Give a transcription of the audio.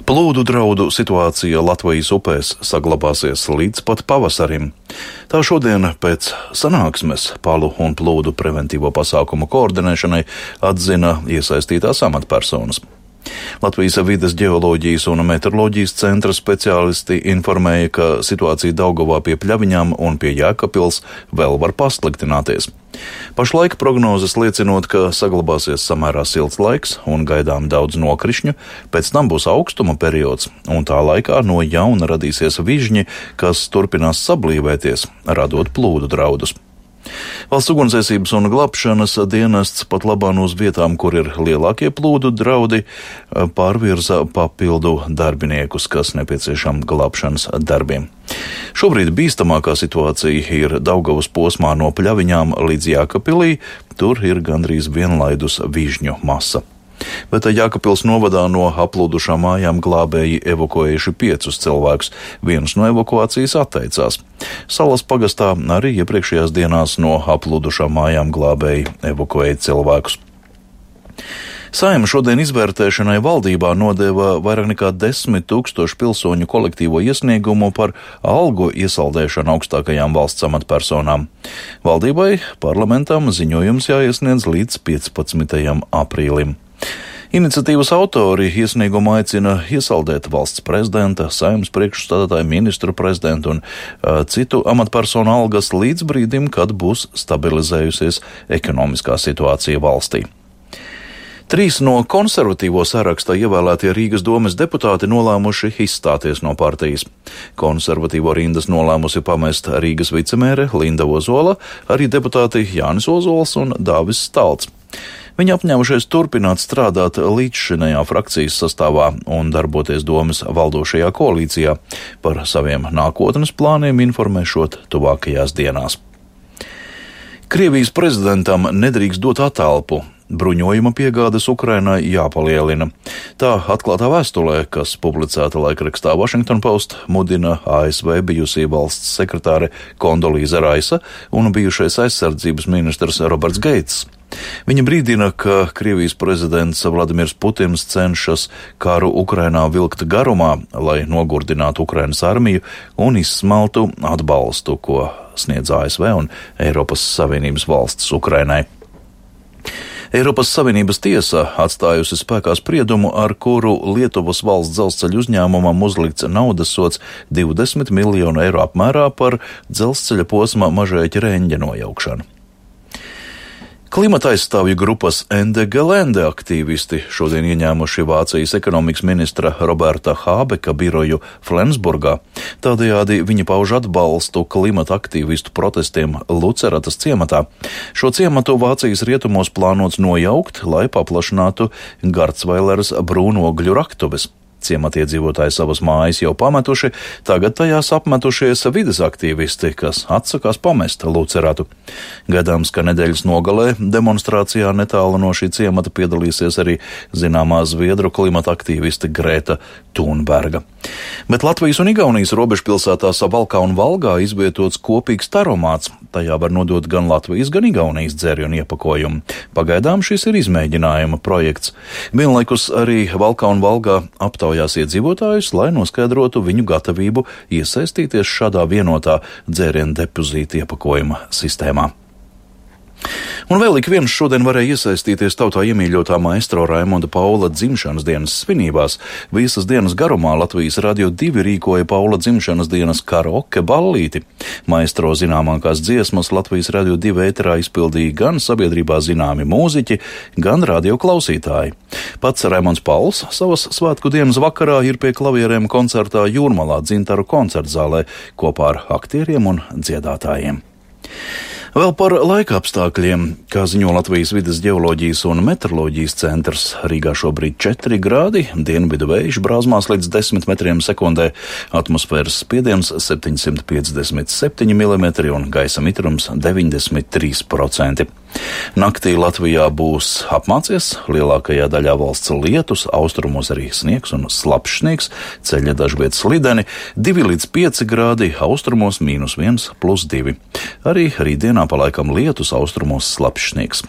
Plūdu draudu situācija Latvijas upēs saglabāsies līdz pat pavasarim. Tā šodien pēc sanāksmes palu un plūdu preventīvo pasākumu koordinēšanai atzina iesaistītās amatpersonas. Latvijas vides ģeoloģijas un meteoroloģijas centra speciālisti informēja, ka situācija Daugavā pie Pļaviņām un pie Jēkabpils vēl var pasliktināties. Pašlaik prognozes liecinot, ka saglabāsies samērā silts laiks un gaidām daudz nokrišņu, pēc tam būs augstuma periods, un tā laikā no jauna radīsies vižņi, kas turpinās sablīvēties, radot plūdu draudus. Valsts ugunsdzēsības un glābšanas dienests pat labāk uz vietām, kur ir lielākie plūdu draudi, pārvirza papildu darbiniekus, kas nepieciešami glābšanas darbiem. Šobrīd bīstamākā situācija ir Daugavas posmā no Pļaviņām līdz Jēkabpilī, tur ir gandrīz vienlaidus vižņu masa. Bet Jēkabpils novadā no aplūdušām mājām glābēji evakuējuši 5 cilvēkus, viens no evakuācijas atteicās. Salas pagastā arī iepriekšējās dienās no aplūdušām mājām glābēji evakuēja cilvēkus. Saeima šodien izvērtēšanai valdībā nodeva vairāk nekā 10 000 pilsoņu kolektīvo iesniegumu par algu iesaldēšanu augstākajām valsts amatpersonām. Valdībai parlamentam ziņojums jāiesniedz līdz 15. aprīlim. Iniciatīvas autori iesniegumu aicina iesaldēt valsts prezidenta, saeimas priekšstādātāju, ministru prezidentu un citu amatpersonu algas līdz brīdim, kad būs stabilizējusies ekonomiskā situācija valstī. 3 no konservatīvo sarakstā ievēlētie Rīgas domes deputāti nolēmuši izstāties no partijas. Konservatīvo rindas nolēmusi pamest Rīgas vicemēre Linda Ozola, arī deputāti Jānis Ozols un Dāvis Stalts. Viņi apņēmušies turpināt strādāt līdzšinējā frakcijas sastāvā un darboties domes valdošajā koalīcijā, par saviem nākotnes plāniem informēšot tuvākajās dienās. Krievijas prezidentam nedrīkst dot attelpu. Bruņojuma piegādes Ukrainai jāpalielina. Tā atklātā vēstulē, kas publicēta laikrakstā Washington Post, mudina ASV bijusī valsts sekretāre Kondolīza Raisa un bijušais aizsardzības ministrs Roberts Geits. Viņa brīdina, ka Krievijas prezidents Vladimirs Putins cenšas karu Ukrainā vilkt garumā, lai nogurdinātu Ukrainas armiju un izsmaltu atbalstu, ko sniedz ASV un Eiropas Savienības valsts Ukrainai. Eiropas Savienības tiesa atstājusi spēkā spriedumu, ar kuru Lietuvas valsts dzelzceļa uzņēmumam uzlikts naudas sods 20 miljonu eiro apmērā par dzelzceļa posma Mažeiķa Reņģa nojaukšanu. Klimata aizstāvju grupas Ende Gelände aktīvisti šodien ieņēmuši Vācijas ekonomikas ministra Roberta Hābeka biroju Flensburgā. Tādējādi viņi pauž atbalstu klimata aktīvistu protestiem Luceratas ciematā. Šo ciematu Vācijas rietumos plānots nojaukt, lai paplašinātu Garcvaileras brūnogļu raktuves. Ciematiedzīvotāji savas mājas jau pametuši, tagad tajās apmetušies vides aktīvisti, kas atsakās pamest Luceratu. Gaidāms, ka nedēļas nogalē demonstrācijā netālu no šī ciemata piedalīsies arī zināmā zviedru klimata aktīviste Grēta Thunberga. Bet Latvijas un Igaunijas robežpilsētās Valkā un Valgā izvietots kopīgs taromāts. Tajā var nodot gan Latvijas, gan Igaunijas dzērienu iepakojumu. Pagaidām šis ir izmēģinājuma projekts. Vienlaikus arī Valkā un Valgā aptaujās iedzīvotājus, lai noskaidrotu viņu gatavību iesaistīties šādā vienotā dzērienu depozīta iepakojuma sistēmā. Un vēl ik viens šodien varēja iesaistīties tautā iemīļotā maestro Raimonda Paula dzimšanas dienas svinībās. Visas dienas garumā Latvijas Radio 2 rīkoja Paula dzimšanas dienas karaoke ballīti. Maestro zināmākās dziesmas Latvijas Radio 2 ēterā izpildīja gan sabiedrībā zināmi mūziķi, gan radio klausītāji. Pats Raimonds Pauls savas svētku dienas vakarā ir pie klavierēm koncertā Jūrmalā Dzintaru koncertzālē kopā ar aktieriem un dziedātājiem. Vēl par laika apstākļiem, kā ziņo Latvijas vides ģeoloģijas un meteoroloģijas centrs, Rīgā šobrīd 4 grādi, dienvidu vējš brāzmās līdz 10 metriem sekundē, atmosfēras spiediens 757 mm un gaisa mitrums 93%. Naktī Latvijā būs apmācies, lielākajā daļā valsts lietus, austrumos arī sniegs un slapjš sniegs, ceļi dažviet slideni, 2 līdz 5 grādi, austrumos -1, +2. Arī rītdienā pa laikam lietus, austrumos slapjš sniegs.